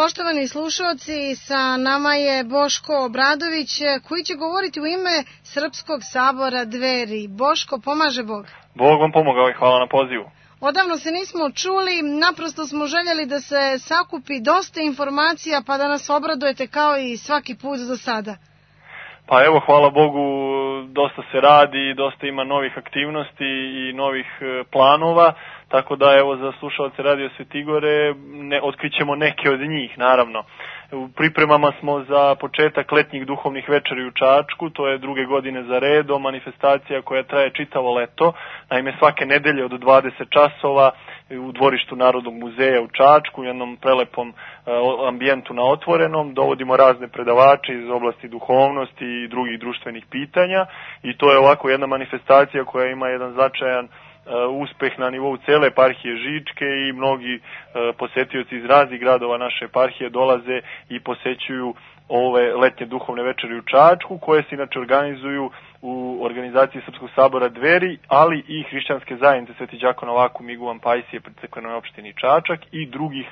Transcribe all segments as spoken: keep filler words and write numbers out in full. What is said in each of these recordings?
Poštovani slušalci, sa nama je Boško Obradović koji će govoriti u ime Srpskog sabora Dveri. Boško, pomaže Bog. Bog vam pomogao i hvala na pozivu. Odavno se nismo čuli, naprosto smo željeli da se sakupi dosta informacija pa da nas obradujete kao i svaki put do sada. Pa evo, hvala Bogu, dosta se radi, dosta ima novih aktivnosti i novih planova, tako da evo za slušalce Radio Svetigore ne, otkrićemo neke od njih, naravno. U pripremama smo za početak letnjih duhovnih večeri u Čačku, to je druge godine za redom, manifestacija koja traje čitavo leto, naime svake nedelje od dvadeset časova u dvorištu Narodnog muzeja u Čačku, u jednom prelepom ambijentu na otvorenom, dovodimo razne predavače iz oblasti duhovnosti i drugih društvenih pitanja i to je ovako jedna manifestacija koja ima jedan značajan uspeh na nivou cele eparhije Žičke i mnogi posetioci iz raznih gradova naše eparhije dolaze i posećuju ove letnje duhovne večeri u Čačku, koje se inače organizuju u organizaciji Srpskog sabora Dveri, ali i hrišćanske zajednice Sveti đakon Novak u Miguvan Pajsije pri crkvenoj opštini Čačak i drugih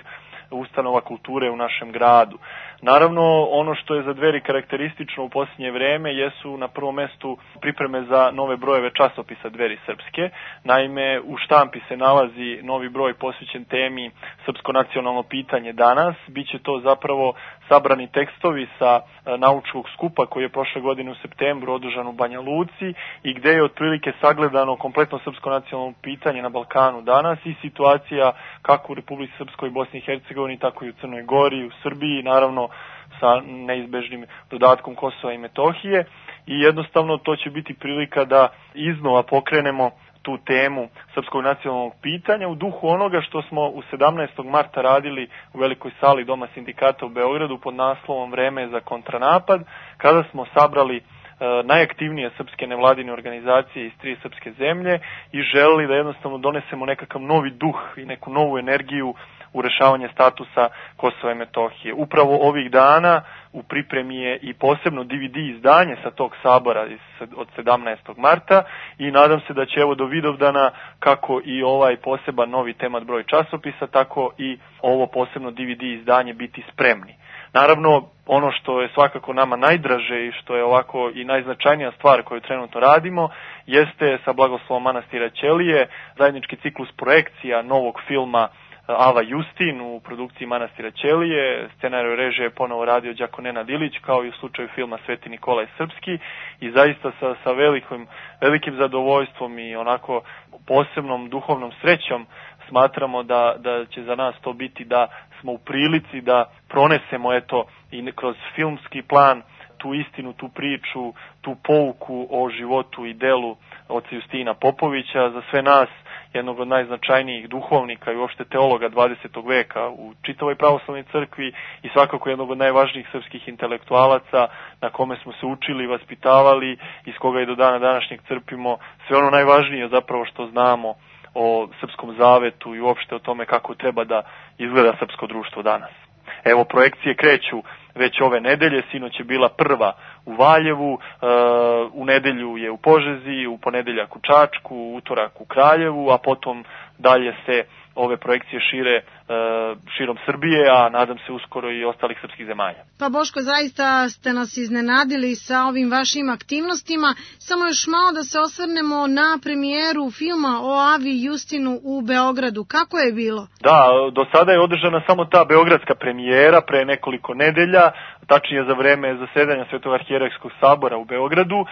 ustanova kulture u našem gradu. Naravno, ono što je za Dveri karakteristično u posljednje vreme jesu na prvom mestu pripreme za nove brojeve časopisa Dveri Srpske. Naime, u štampi se nalazi novi broj posvećen temi Srpsko nacionalno pitanje danas. Biće to zapravo sabrani tekstovi sa naučnog skupa koji je prošle godine u septembru održan u Banja Luci i gde je otprilike sagledano kompletno srpsko nacionalno pitanje na Balkanu danas i situacija kako u Republici Srpskoj i Bosni i Hercegovini, tako i u Crnoj Gori, u Srbiji, naravno sa neizbežnim dodatkom Kosova i Metohije i jednostavno to će biti prilika da iznova pokrenemo tu temu srpskog nacionalnog pitanja u duhu onoga što smo u sedamnaestog marta radili u velikoj sali Doma sindikata u Beogradu pod naslovom Vreme za kontranapad, kada smo sabrali e, najaktivnije srpske nevladine organizacije iz tri srpske zemlje i želeli da jednostavno donesemo nekakav novi duh i neku novu energiju u rešavanje statusa Kosova i Metohije. Upravo ovih dana u pripremi je i posebno D V D izdanje sa tog sabora od sedamnaestog marta i nadam se da će evo do Vidovdana kako i ovaj poseban novi temat broj časopisa, tako i ovo posebno D V D izdanje biti spremni. Naravno, ono što je svakako nama najdraže i što je ovako i najznačajnija stvar koju trenutno radimo, jeste sa blagoslovom manastira Ćelije zajednički ciklus projekcija novog filma Ava Justin u produkciji manastira Ćelije, scenariju režije je ponovo radio đakon Nenad Ilić, kao i u slučaju filma Sveti Nikolaj Srpski i zaista sa, sa velikim, velikim zadovoljstvom i onako posebnom duhovnom srećom smatramo da, da će za nas to biti da smo u prilici da pronesemo eto i kroz filmski plan tu istinu, tu priču, tu pouku o životu i delu oca Justina Popovića za sve nas, jednog od najznačajnijih duhovnika i uopšte teologa dvadesetog veka u čitavoj pravoslavnoj crkvi i svakako jednog od najvažnijih srpskih intelektualaca na kome smo se učili, vaspitavali, iz koga i do dana današnjeg crpimo sve ono najvažnije zapravo što znamo o srpskom zavetu i uopšte o tome kako treba da izgleda srpsko društvo danas. Evo, projekcije kreću već ove nedelje, sinoć je bila prva u Valjevu, uh, u nedelju je u Požegi, u ponedeljak u Čačku, u utorak u Kraljevu, a potom dalje se ove projekcije šire uh, širom Srbije, a nadam se uskoro i ostalih srpskih zemalja. Pa Boško, zaista ste nas iznenadili sa ovim vašim aktivnostima. Samo još malo da se osvrnemo na premijeru filma o Avi Justinu u Beogradu. Kako je bilo? Da, do sada je održana samo ta beogradska premijera pre nekoliko nedelja, tačnije za vreme zasedanja Svetog arhijerejskog sabora u Beogradu.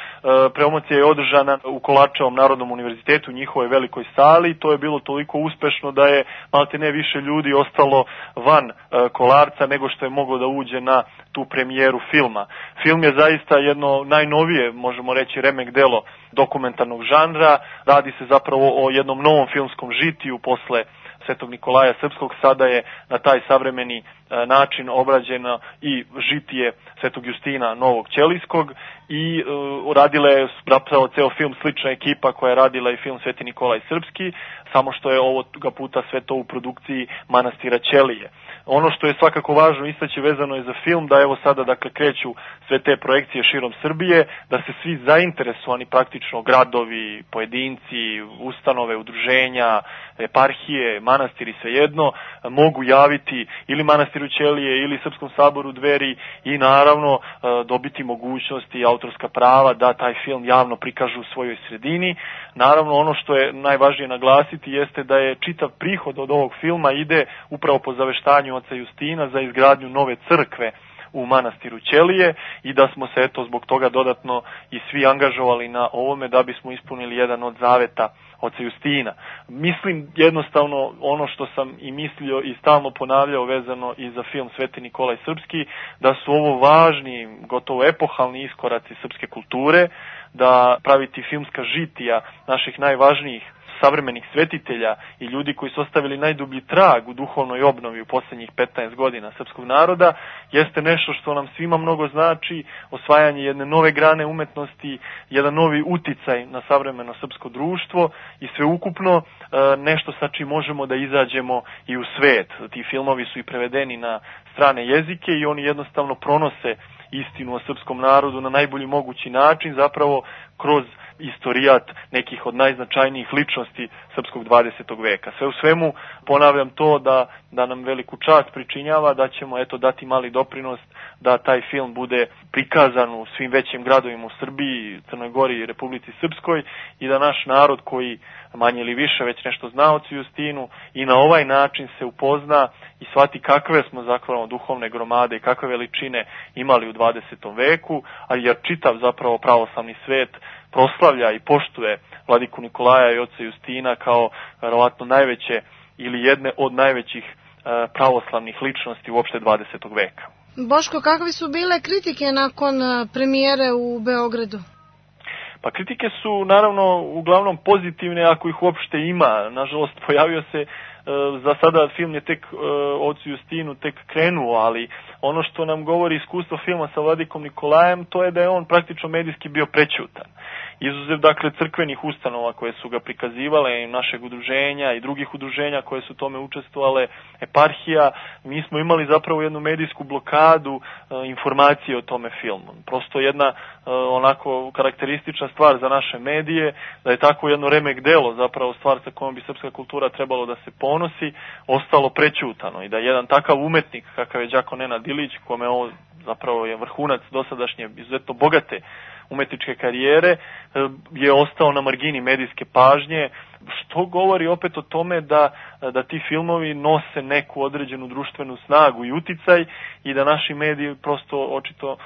Promocija je održana u Kolačevom Narodnom univerzitetu, u njihovoj velikoj sali. To je bilo toliko uspešno da je malte ne više ljudi ostalo van Kolarca nego što je moglo da uđe na tu premijeru filma. Film je zaista jedno najnovije, možemo reći, remek delo dokumentarnog žanra. Radi se zapravo o jednom novom filmskom žitiju posle Svetog Nikolaja Srpskog. Sada je na taj savremeni način obrađeno i žitije Svetog Justina Novog Ćelijskog i uh, radila je zapravo ceo film slična ekipa koja je radila i film Sveti Nikolaj Srpski, samo što je ovoga puta sve to u produkciji manastira Ćelije. Ono što je svakako važno istaći vezano je za film, da evo sada dakle kreću sve te projekcije širom Srbije, da se svi zainteresovani praktično gradovi, pojedinci, ustanove, udruženja, eparhije, manastiri svejedno, mogu javiti ili manastiru Ćelije ili Srpskom saboru Dveri i naravno dobiti mogućnosti i autorska prava da taj film javno prikažu u svojoj sredini. Naravno ono što je najvažnije naglasiti jeste da je čitav prihod od ovog filma ide upravo po zaveštanju oca Justina za izgradnju nove crkve u manastiru Ćelije i da smo se eto zbog toga dodatno i svi angažovali na ovome da bismo ispunili jedan od zaveta oca Justina. Mislim jednostavno ono što sam i mislio i stalno ponavljao vezano i za film Sveti Nikolaj Srpski, da su ovo važni, gotovo epohalni iskoraci srpske kulture, da praviti filmska žitija naših najvažnijih savremenih svetitelja i ljudi koji su ostavili najdublji trag u duhovnoj obnovi u posljednjih petnaest godina srpskog naroda, jeste nešto što nam svima mnogo znači, osvajanje jedne nove grane umetnosti, jedan novi uticaj na savremeno srpsko društvo i sveukupno nešto sa čim možemo da izađemo i u svet. Ti filmovi su i prevedeni na strane jezike i oni jednostavno pronose istinu o srpskom narodu na najbolji mogući način, zapravo kroz istorijat nekih od najznačajnijih ličnosti srpskog dvadesetog veka. Sve u svemu ponavljam to da, da nam veliku čast pričinjava, da ćemo eto dati mali doprinos da taj film bude prikazan u svim većim gradovima u Srbiji, Crnoj Gori i Republici Srpskoj i da naš narod koji manje ili više već nešto zna o ocu Justinu i na ovaj način se upozna i shvati kakve smo zapravo duhovne gromade i kakve veličine imali u dvadesetom veku, a jer čitav zapravo pravoslavni svet proslavlja i poštuje vladiku Nikolaja i oca Justina kao verovatno najveće ili jedne od najvećih e, pravoslavnih ličnosti uopšte dvadesetog veka. Boško, kakve su bile kritike nakon premijere u Beogradu? Pa kritike su naravno uglavnom pozitivne ako ih uopšte ima. Nažalost pojavio se e, za sada film je tek e, ocu Justinu tek krenuo, ali ono što nam govori iskustvo filma sa vladikom Nikolajem, to je da je on praktično medijski bio prećutan. Izuzev dakle crkvenih ustanova koje su ga prikazivale i našeg udruženja i drugih udruženja koje su tome učestvovale, eparhija, mi smo imali zapravo jednu medijsku blokadu e, informacije o tome filmu. Prosto jedna e, onako karakteristična stvar za naše medije, da je tako jedno remek delo, zapravo stvar sa kojom bi srpska kultura trebalo da se ponosi, ostalo prećutano i da jedan takav umetnik kakav je Đako Nenad Ilić, kome ovo zapravo je vrhunac dosadašnje izuzetno bogate umetničke karijere, je ostao na margini medijske pažnje, što govori opet o tome da, da ti filmovi nose neku određenu društvenu snagu i uticaj i da naši mediji prosto očito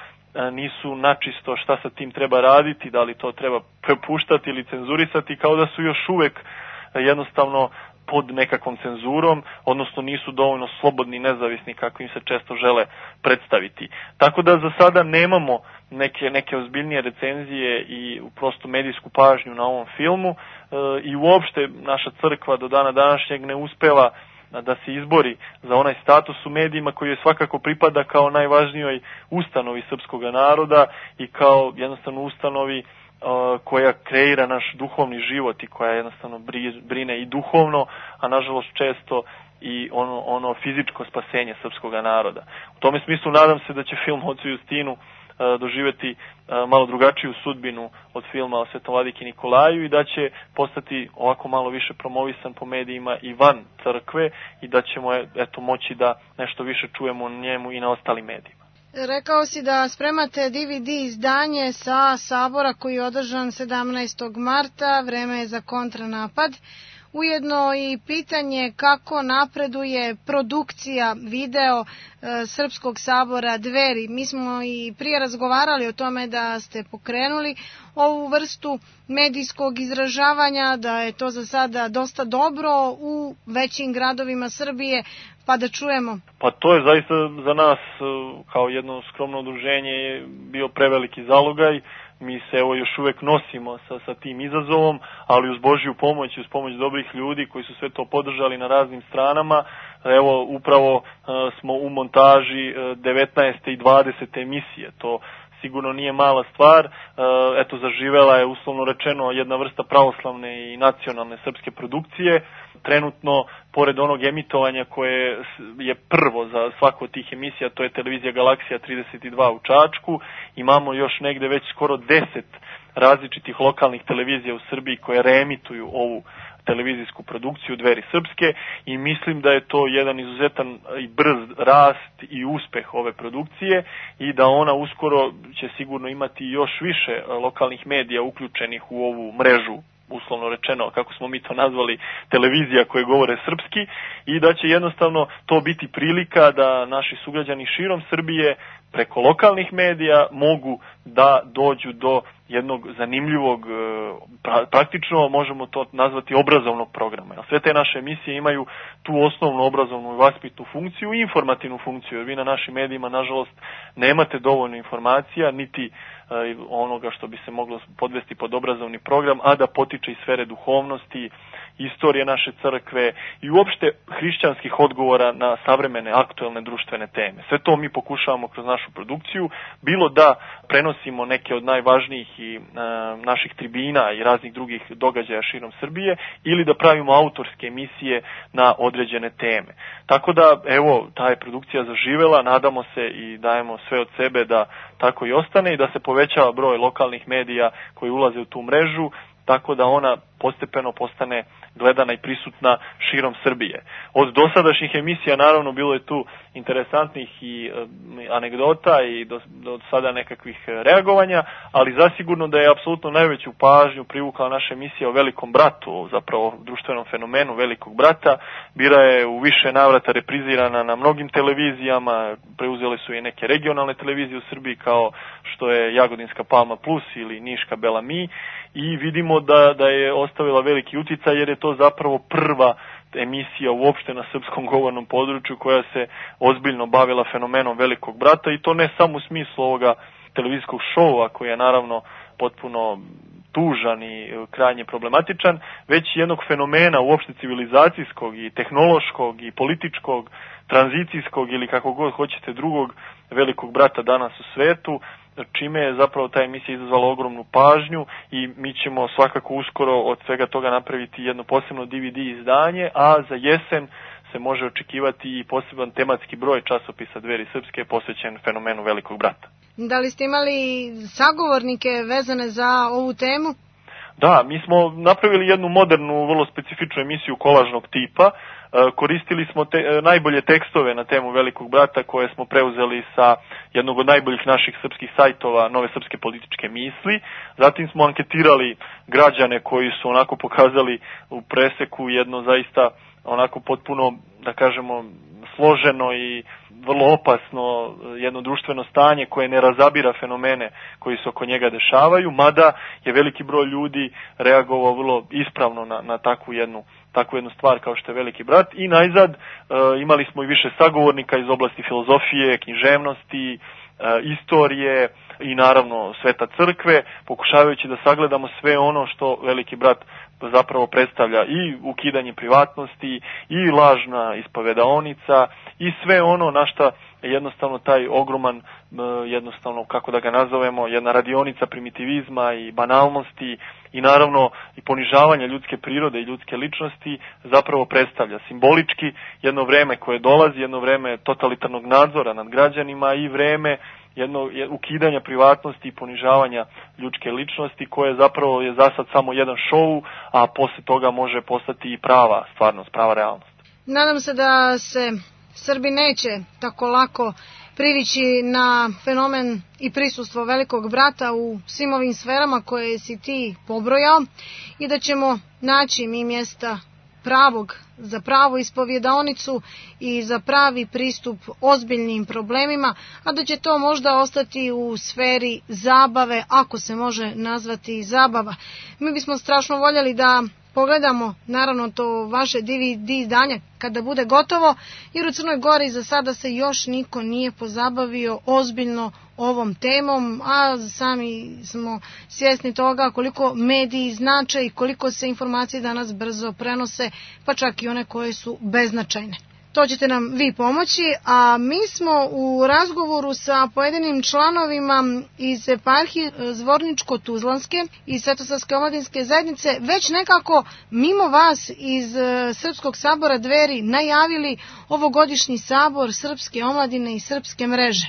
nisu načisto šta sa tim treba raditi, da li to treba prepuštati ili cenzurisati, kao da su još uvek jednostavno pod nekakvom cenzurom, odnosno nisu dovoljno slobodni i nezavisni kako im se često žele predstaviti. Tako da za sada nemamo neke, neke ozbiljnije recenzije i prosto medijsku pažnju na ovom filmu e, i uopšte naša crkva do dana današnjeg ne uspeva da se izbori za onaj status u medijima koji je svakako pripada kao najvažnijoj ustanovi srpskog naroda i kao jednostavno ustanovi koja kreira naš duhovni život i koja jednostavno brine i duhovno, a nažalost često i ono, ono fizičko spasenje srpskog naroda. U tome smislu nadam se da će film o ocu Justinu doživjeti malo drugačiju sudbinu od filma o Svetom vladiki Nikolaju i da će postati ovako malo više promovisan po medijima i van crkve i da ćemo eto moći da nešto više čujemo o njemu i na ostalim medijima. Rekao si da spremate D V D izdanje sa sabora koji je održan sedamnaestog marta, vreme je za kontranapad. Ujedno i pitanje kako napreduje produkcija video e, Srpskog sabora Dveri. Mi smo i prije razgovarali o tome da ste pokrenuli ovu vrstu medijskog izražavanja, da je to za sada dosta dobro u većim gradovima Srbije, pa da čujemo. Pa to je zaista za nas kao jedno skromno udruženje bio preveliki zalogaj. Mi se evo još uvek nosimo sa, sa tim izazovom, ali uz Božju pomoć i uz pomoć dobrih ljudi koji su sve to podržali na raznim stranama. Evo upravo uh, smo u montaži uh, devetnaeste i dvadesete emisije. To sigurno nije mala stvar. Eto, zaživela je, uslovno rečeno, jedna vrsta pravoslavne i nacionalne srpske produkcije. Trenutno, pored onog emitovanja koje je prvo za svaku od tih emisija, to je televizija Galaksija trideset dva u Čačku, imamo još negde već skoro deset različitih lokalnih televizija u Srbiji koje reemituju ovu televizijsku produkciju Dveri srpske i mislim da je to jedan izuzetan i brz rast i uspeh ove produkcije i da ona uskoro će sigurno imati još više lokalnih medija uključenih u ovu mrežu, uslovno rečeno, kako smo mi to nazvali, televizija koje govore srpski, i da će jednostavno to biti prilika da naši sugrađani širom Srbije preko lokalnih medija mogu da dođu do jednog zanimljivog, praktično možemo to nazvati obrazovnog programa. Sve te naše emisije imaju tu osnovnu obrazovnu i vaspitnu funkciju i informativnu funkciju, jer vi na našim medijima, nažalost, nemate dovoljno informacija, niti onoga što bi se moglo podvesti pod obrazovni program, a da potiče iz sfere duhovnosti, istorije naše crkve i uopšte hrišćanskih odgovora na savremene aktuelne društvene teme. Sve to mi pokušavamo kroz našu produkciju, bilo da prenosimo neke od najvažnijih i e, naših tribina i raznih drugih događaja širom Srbije, ili da pravimo autorske emisije na određene teme. Tako da, evo, ta je produkcija zaživela, nadamo se i dajemo sve od sebe da tako i ostane i da se povećava broj lokalnih medija koji ulaze u tu mrežu, tako da ona postepeno postane gledana i prisutna širom Srbije. Od dosadašnjih emisija, naravno, bilo je tu interesantnih i e, anegdota i do, do sada nekakvih reagovanja, ali zasigurno da je apsolutno najveću pažnju privukla naša emisija o Velikom bratu, zapravo društvenom fenomenu Velikog brata. Bila je u više navrata reprizirana na mnogim televizijama, preuzele su i neke regionalne televizije u Srbiji kao što je Jagodinska Palma Plus ili Niška Bela Mi, i vidimo da, da je ostavila veliki uticaj jer je to zapravo prva emisija uopšte na srpskom govornom području koja se ozbiljno bavila fenomenom Velikog brata, i to ne samo u smislu ovoga televizijskog šova koji je naravno potpuno tužan i krajnje problematičan, već jednog fenomena uopšte civilizacijskog i tehnološkog i političkog, tranzicijskog ili kako god hoćete drugog Velikog brata danas u svetu, čime je zapravo ta emisija izazvala ogromnu pažnju i mi ćemo svakako uskoro od svega toga napraviti jedno posebno D V D izdanje, a za jesen se može očekivati i poseban tematski broj časopisa Dveri srpske posvećen fenomenu Velikog brata. Da li ste imali sagovornike vezane za ovu temu? Da, mi smo napravili jednu modernu, vrlo specifičnu emisiju kolažnog tipa. Koristili smo te, najbolje tekstove na temu Velikog brata koje smo preuzeli sa jednog od najboljih naših srpskih sajtova, Nove srpske političke misli. Zatim smo anketirali građane koji su onako pokazali u preseku jedno zaista onako potpuno, da kažemo, složeno i vrlo opasno jedno društveno stanje koje ne razabira fenomene koji se oko njega dešavaju, mada je veliki broj ljudi reagovao vrlo ispravno na, na takvu jednu takvu jednu stvar kao što je Veliki brat. I najzad e, imali smo i više sagovornika iz oblasti filozofije, književnosti, e, istorije i naravno Sveta crkve, pokušavajući da sagledamo sve ono što Veliki brat zapravo predstavlja, i ukidanje privatnosti, i lažna ispovedaonica, i sve ono na šta jednostavno taj ogroman, jednostavno kako da ga nazovemo, jedna radionica primitivizma i banalnosti i naravno i ponižavanja ljudske prirode i ljudske ličnosti zapravo predstavlja simbolički jedno vreme koje dolazi, jedno vreme totalitarnog nadzora nad građanima i vreme jedno ukidanja privatnosti i ponižavanja ljudske ličnosti koje zapravo je za sad samo jedan šou, a posle toga može postati i prava stvarnost, prava realnost. Nadam se da se Srbi neće tako lako privići na fenomen i prisustvo Velikog brata u svim ovim sferama koje si ti pobrojao i da ćemo naći mi mjesta pravog za pravu ispovjedaonicu i za pravi pristup ozbiljnim problemima, a da će to možda ostati u sferi zabave, ako se može nazvati zabava. Mi bismo strašno voljeli da pogledamo naravno to vaše D V D izdanje kada bude gotovo, jer u Crnoj Gori za sada se još niko nije pozabavio ozbiljno ovom temom, a sami smo svjesni toga koliko mediji znače i koliko se informacije danas brzo prenose, pa čak i one koje su beznačajne. To ćete nam vi pomoći, a mi smo u razgovoru sa pojedinim članovima iz eparhije Zvorničko-Tuzlanske i Svetosavske omladinske zajednice već nekako mimo vas iz Srpskog sabora Dveri najavili ovogodišnji sabor Srpske omladine i Srpske mreže.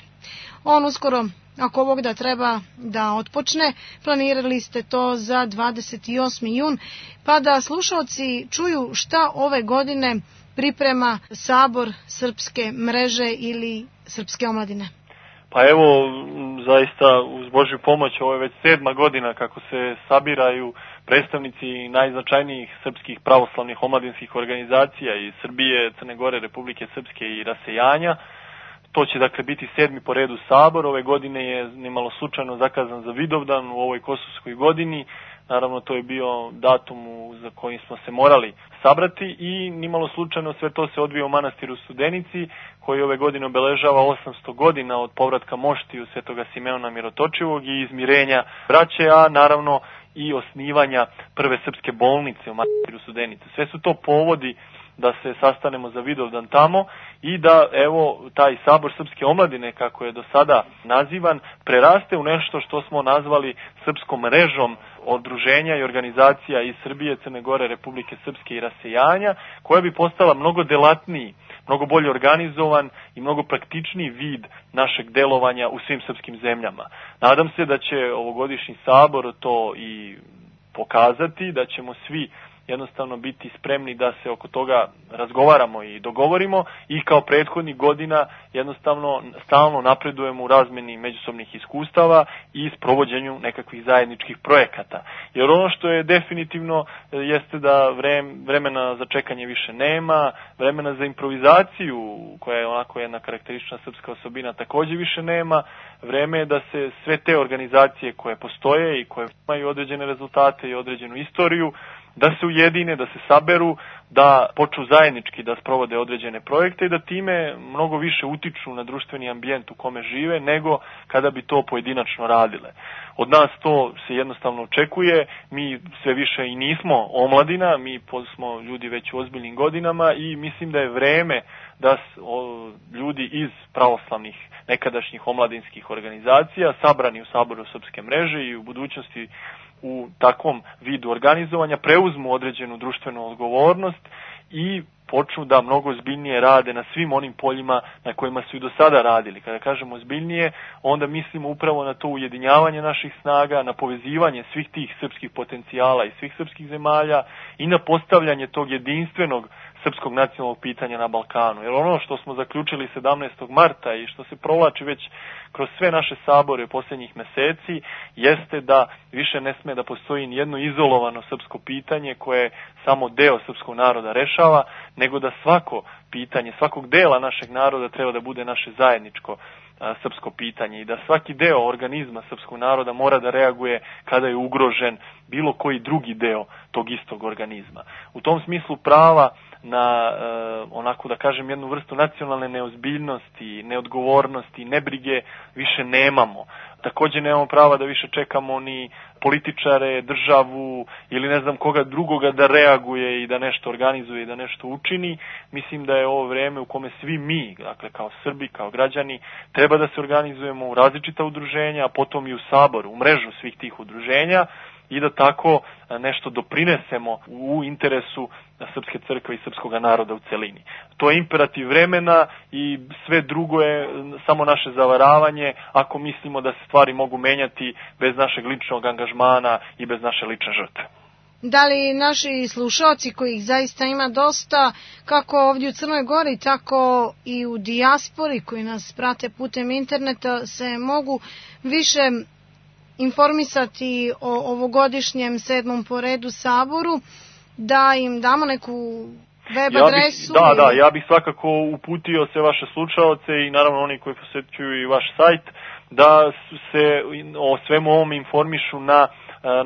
On uskoro, ako Bog da, treba da otpočne. Planirali ste to za dvadeset osmi jun, pa da slušalci čuju šta ove godine priprema sabor Srpske mreže ili Srpske omladine. Pa evo, zaista uz Božju pomoć, ovo je već sedma godina kako se sabiraju predstavnici najznačajnijih srpskih pravoslavnih omladinskih organizacija iz Srbije, Crne Gore, Republike Srpske i Rasejanja. To će dakle biti sedmi po redu sabor. Ove godine je nimalo slučajno zakazan za Vidovdan u ovoj kosovskoj godini. Naravno, to je bio datum za kojim smo se morali sabrati i nimalo slučajno sve to se odvija u manastiru Studenici, koji ove godine obeležava osamsto godina od povratka moštiju Svetoga Simeona Mirotočivog i izmirenja braće, a naravno i osnivanja prve srpske bolnice u manastiru Studenici. Sve su to povodi da se sastanemo za Vidovdan tamo i da, evo, taj sabor Srpske omladine, kako je do sada nazivan, preraste u nešto što smo nazvali Srpskom mrežom udruženja i organizacija iz Srbije, Crne Gore, Republike Srpske i Rasejanja, koja bi postala mnogo delatniji, mnogo bolje organizovan i mnogo praktičniji vid našeg delovanja u svim srpskim zemljama. Nadam se da će ovogodišnji sabor to i pokazati, da ćemo svi jednostavno biti spremni da se oko toga razgovaramo i dogovorimo i kao prethodnih godina jednostavno stalno napredujemo u razmeni međusobnih iskustava i sprovođenju nekakvih zajedničkih projekata. Jer ono što je definitivno jeste da vremena za čekanje više nema, vremena za improvizaciju, koja je onako jedna karakteristična srpska osobina, također više nema. Vreme je da se sve te organizacije koje postoje i koje imaju određene rezultate i određenu istoriju, da se ujedine, da se saberu, da počnu zajednički da sprovode određene projekte i da time mnogo više utiču na društveni ambijent u kome žive nego kada bi to pojedinačno radile. Od nas to se jednostavno očekuje, mi sve više i nismo omladina, mi smo ljudi već u ozbiljnim godinama i mislim da je vreme da ljudi iz pravoslavnih nekadašnjih omladinskih organizacija sabrani u saboru Srpske mreže i u budućnosti u takvom vidu organizovanja preuzmu određenu društvenu odgovornost i počnu da mnogo ozbiljnije rade na svim onim poljima na kojima su i do sada radili. Kada kažemo ozbiljnije, onda mislimo upravo na to ujedinjavanje naših snaga, na povezivanje svih tih srpskih potencijala i svih srpskih zemalja i na postavljanje tog jedinstvenog srpskog nacionalnog pitanja na Balkanu. Jer ono što smo zaključili sedamnaestog marta i što se provlači već kroz sve naše sabore posljednjih meseci, jeste da više ne sme da postoji nijedno izolovano srpsko pitanje koje samo deo srpskog naroda rešava, nego da svako pitanje, svakog dela našeg naroda treba da bude naše zajedničko a, srpsko pitanje i da svaki deo organizma srpskog naroda mora da reaguje kada je ugrožen bilo koji drugi deo tog istog organizma. U tom smislu prava na e, onako da kažem jednu vrstu nacionalne neozbiljnosti, neodgovornosti, nebrige više nemamo. Također nemamo prava da više čekamo ni političare, državu ili ne znam koga drugoga da reaguje i da nešto organizuje i da nešto učini. Mislim da je ovo vreme u kome svi mi, dakle kao Srbi, kao građani, treba da se organizujemo u različita udruženja, a potom i u sabor, u mrežu svih tih udruženja i da tako nešto doprinesemo u interesu Srpske crkve i srpskog naroda u celini. To je imperativ vremena i sve drugo je samo naše zavaravanje ako mislimo da se stvari mogu menjati bez našeg ličnog angažmana i bez naše lične žrtve. Da li naši slušalci, kojih zaista ima dosta, kako ovdje u Crnoj Gori, tako i u dijaspori koji nas prate putem interneta, se mogu više informisati o ovogodišnjem sedmom po redu saboru, da im damo neku web adresu? Ja bih, da, da, ja bih svakako uputio sve vaše slušaoce i naravno oni koji posjećuju i vaš sajt, da se o svemu ovom informišu na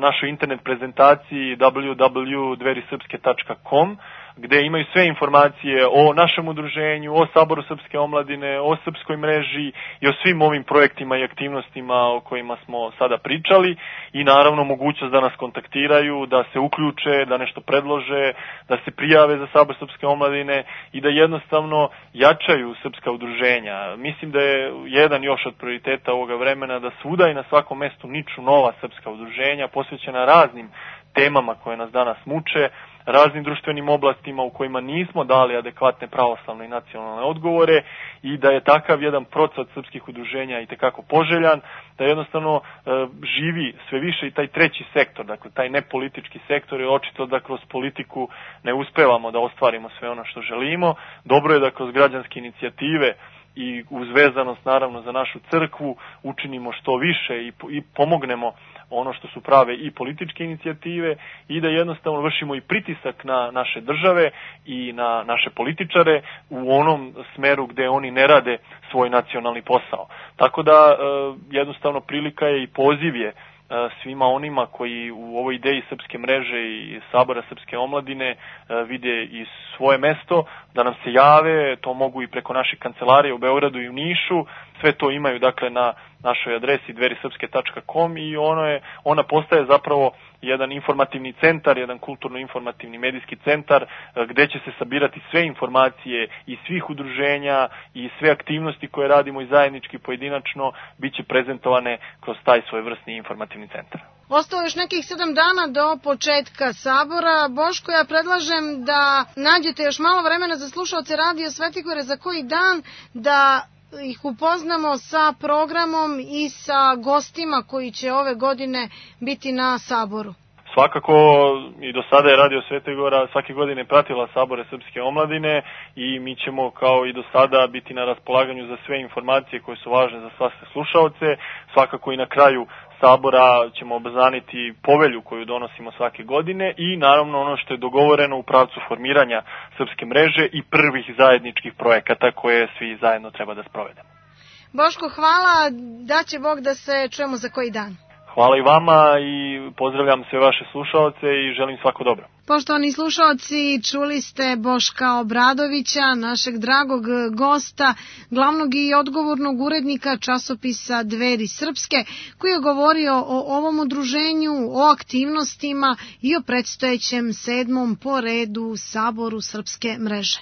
našoj internet prezentaciji w w w tačka dverisrpske tačka com. gde imaju sve informacije o našem udruženju, o Saboru Srpske omladine, o Srpskoj mreži i o svim ovim projektima i aktivnostima o kojima smo sada pričali i naravno mogućnost da nas kontaktiraju, da se uključe, da nešto predlože, da se prijave za Sabor Srpske omladine i da jednostavno jačaju srpska udruženja. Mislim da je jedan još od prioriteta ovoga vremena da svuda i na svakom mestu niču nova srpska udruženja posvećena raznim temama koje nas danas muče, raznim društvenim oblastima u kojima nismo dali adekvatne pravoslavne i nacionalne odgovore i da je takav jedan procvat srpskih udruženja i tekako poželjan, da jednostavno e, živi sve više i taj treći sektor, dakle taj nepolitički sektor je očito da kroz politiku ne uspevamo da ostvarimo sve ono što želimo. Dobro je da kroz građanske inicijative i uz vezanost naravno za našu crkvu učinimo što više i, i pomognemo ono što su prave i političke inicijative i da jednostavno vršimo i pritisak na naše države i na naše političare u onom smeru gde oni ne rade svoj nacionalni posao. Tako da jednostavno prilika je i poziv je svima onima koji u ovoj ideji Srpske mreže i Sabora Srpske omladine vide i svoje mesto, da nam se jave, to mogu i preko naših kancelarija u Beogradu i u Nišu, sve to imaju dakle na našoj adresi dveri srpske tačka com i ono je, ona postaje zapravo jedan informativni centar, jedan kulturno-informativni medijski centar gde će se sabirati sve informacije i svih udruženja i sve aktivnosti koje radimo i zajednički pojedinačno bit će prezentovane kroz taj svojevrsni informativni centar. Ostalo još nekih sedam dana do početka sabora. Boško, ja predlažem da nađete još malo vremena za slušaoce Radio Svetigore za koji dan, da ih upoznamo sa programom i sa gostima koji će ove godine biti na saboru. Svakako i do sada je Radio Svetigora svake godine pratila Sabore Srpske omladine i mi ćemo kao i do sada biti na raspolaganju za sve informacije koje su važne za sve slušaoce. Svakako i na kraju Sabora ćemo obznaniti povelju koju donosimo svake godine i naravno ono što je dogovoreno u pravcu formiranja Srpske mreže i prvih zajedničkih projekata koje svi zajedno treba da sprovedemo. Boško, hvala, da će Bog da se čujemo za koji dan. Hvala i vama i pozdravljam sve vaše slušaoce i želim svako dobro. Poštovani slušaoci, čuli ste Boška Obradovića, našeg dragog gosta, glavnog i odgovornog urednika časopisa Dveri Srpske, koji je govorio o ovom udruženju, o aktivnostima i o predstojećem sedmom po redu Saboru Srpske mreže.